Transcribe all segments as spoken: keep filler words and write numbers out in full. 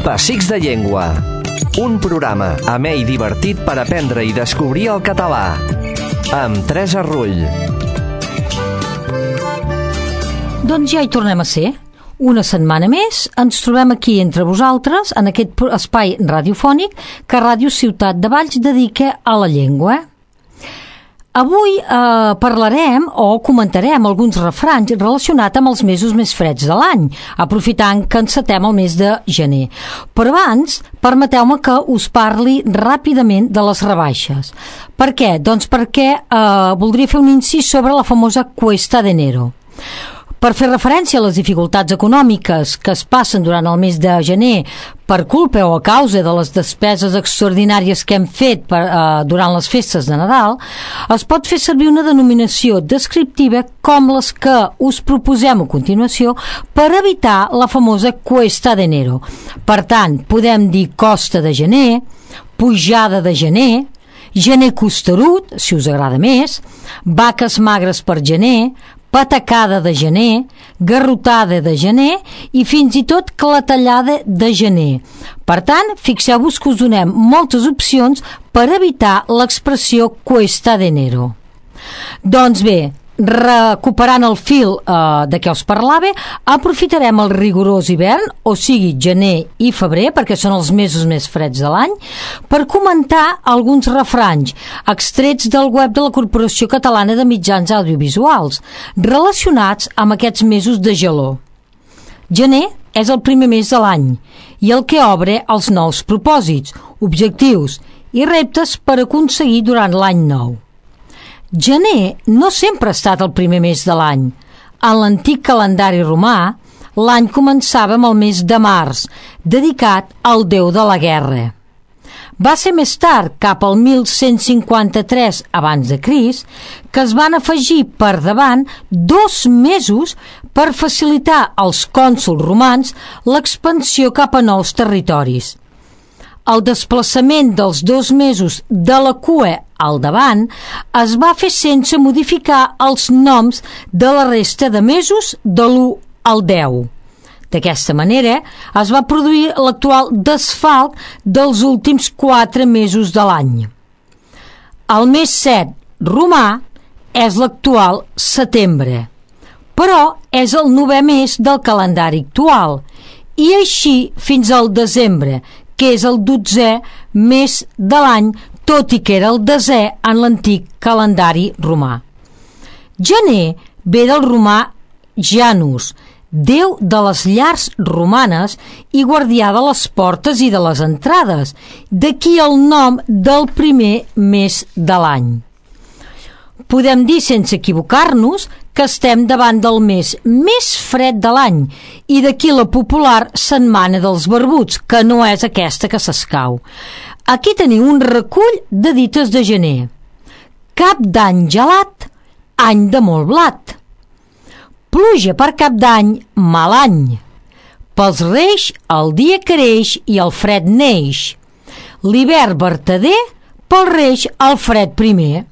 Pessics de Llengua, un programa amè i divertit per aprendre i descobrir el català, amb Teresa Rull. Doncs ja hi tornem a ser. Una setmana més ens trobem aquí entre vosaltres en aquest espai radiofònic que Ràdio Ciutat de Valls dedica a la llengua. Avui eh, parlarem o comentarem alguns refranys relacionats amb els mesos més freds de l'any, aprofitant que encetem el mes de gener. Però abans, permeteu-me que us parli ràpidament de les rebaixes. Per què? Doncs perquè eh, voldria fer un incís sobre la famosa Cuesta de Enero. Per fer referència a les dificultats econòmiques que es passen durant el mes de gener per culpa o a causa de les despeses extraordinàries que hem fet per, eh, durant les festes de Nadal, es pot fer servir una denominació descriptiva com les que us proposem a continuació per evitar la famosa Cuesta de Enero. Per tant, podem dir costa de gener, pujada de gener, gener costerut, si us agrada més, vaques magres per gener, patacada de gener, garrotada de gener i fins i tot clatellada de gener. Per tant, fixeu-vos que us donem moltes opcions per evitar l'expressió Cuesta de Enero. Doncs bé, recuperant el fil eh, de què us parlava, aprofitarem el rigorós hivern, o sigui gener i febrer, perquè són els mesos més freds de l'any, per comentar alguns refranys extrets del web de la Corporació Catalana de Mitjans Audiovisuals relacionats amb aquests mesos de gelor. Gener és el primer mes de l'any i el que obre els nous propòsits, objectius i reptes per aconseguir durant l'any nou. Gener no sempre ha estat el primer mes de l'any. En l'antic calendari romà, l'any començava amb el mes de març, dedicat al déu de la guerra. Va ser més tard, cap al mil cent cinquanta-tres abans de Crist, que es van afegir per davant dos mesos per facilitar als cònsols romans l'expansió cap a nous territoris. El desplaçament dels dos mesos de la cua al davant es va fer sense modificar els noms de la resta de mesos de l'u al deu. D'aquesta manera es va produir l'actual desfalc dels últims quatre mesos de l'any. El mes set romà és l'actual setembre, però és el novè mes del calendari actual i així fins al desembre, que és el dotzè mes de l'any, tot i que era el desè en l'antic calendari romà. Gener ve del romà Janus, déu de les llars romanes i guardià de les portes i de les entrades, d'aquí el nom del primer mes de l'any. Podem dir sense equivocar-nos que estem davant del mes més fred de l'any i d'aquí la popular setmana dels barbuts, que no és aquesta que s'escau. Aquí teniu un recull de dites de gener. Cap d'any gelat, any de molt blat. Pluja per cap d'any, mal any. Pels reis el dia creix i el fred neix. L'hivern vertader, pels reis el fred primer.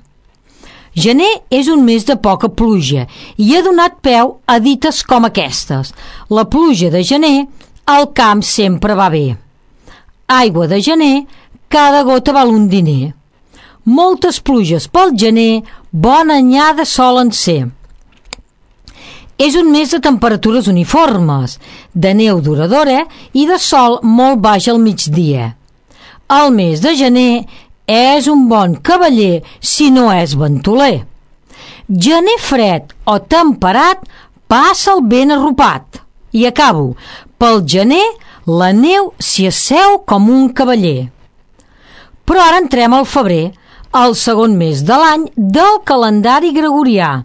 Gener és un mes de poca pluja i ha donat peu a dites com aquestes. La pluja de gener, al camp sempre va bé. Aigua de gener, cada gota val un diner. Moltes pluges pel gener, bona anyada solen ser. És un mes de temperatures uniformes, de neu duradora i de sol molt baix al migdia. El mes de gener és un bon cavaller si no és ventoler. Gener fred o temperat passa el vent arropat. I acabo. Pel gener la neu s'hi asseu com un cavaller. Però ara entrem al febrer, el segon mes de l'any del calendari gregorià.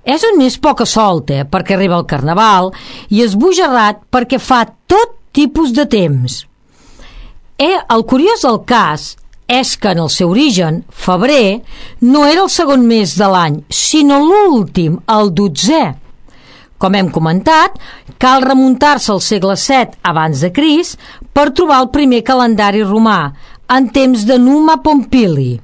És un mes poca solta perquè arriba el carnaval i esbojarrat perquè fa tot tipus de temps. Eh, el curiós del cas és que en el seu origen, febrer, no era el segon mes de l'any, sinó l'últim, el dotzè. Com hem comentat, cal remuntar-se al segle set abans de Crist per trobar el primer calendari romà, en temps de Numa Pompili.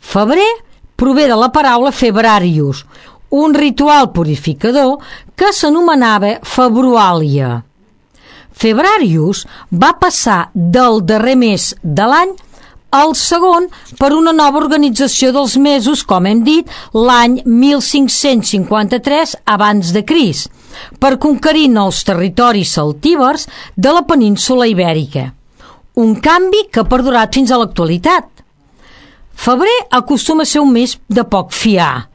Febrer prové de la paraula febrarius, un ritual purificador que s'anomenava februàlia. Febrarius va passar del darrer mes de l'any al segon per una nova organització dels mesos, com hem dit, l'any mil cinc-cents cinquanta-tres abans de Crist, per conquerir nous territoris celtibers de la península ibèrica. Un canvi que ha perdurat fins a l'actualitat. Febrer acostuma a ser un mes de poc fiar.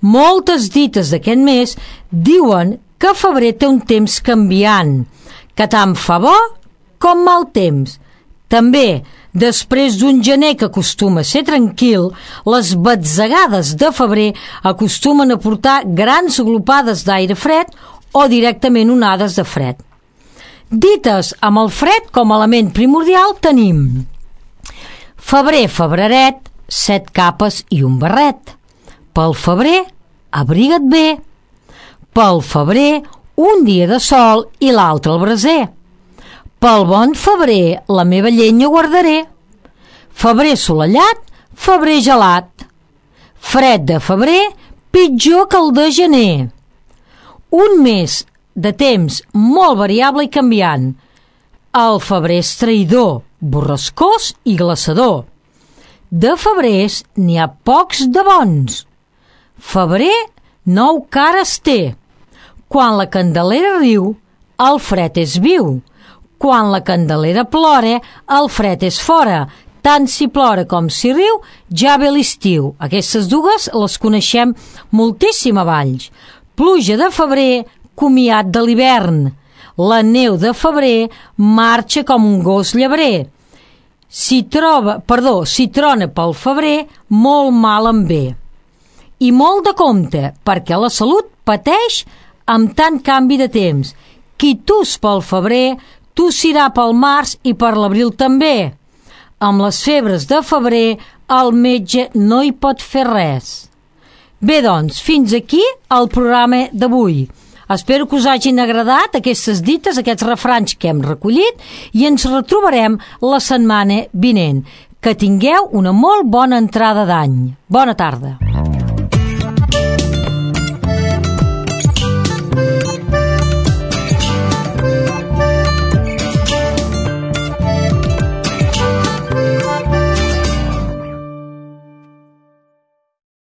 Moltes dites d'aquest mes diuen que febrer té un temps canviant, que tant fa bo com mal temps. També, després d'un gener que acostuma a ser tranquil, les batzegades de febrer acostumen a portar grans glopades d'aire fred o directament onades de fred. Dites amb el fred com a element primordial tenim: febrer, febreret, set capes i un barret. Pel febrer, abriga't bé. Pel febrer, un dia de sol i l'altre al braser. Pel bon febrer, la meva llenya guardaré. Febrer assolellat, febrer gelat. Fred de febrer, pitjor que el de gener. Un mes de temps molt variable i canviant. El febrer és traïdor, borrascós i glaçador. De febrers n'hi ha pocs de bons. Febrer nou cares té. Quan la Candelera riu, el fred és viu. Quan la Candelera plora, el fred és fora. Tant si plora com si riu, ja ve l'estiu. Aquestes dues les coneixem moltíssim a Valls. Pluja de febrer, comiat de l'hivern. La neu de febrer marxa com un gos llebrer. Si troba, perdó, si trona pel febrer, molt mal en ve. I molt de compte, perquè la salut pateix amb tant canvi de temps. Qui tus pel febrer, tossirà pel març i per l'abril també. Amb les febres de febrer, el metge no hi pot fer res. Bé, doncs, fins aquí el programa d'avui. Espero que us hagin agradat aquestes dites, aquests refranys que hem recollit, i ens retrobarem la setmana vinent. Que tingueu una molt bona entrada d'any. Bona tarda.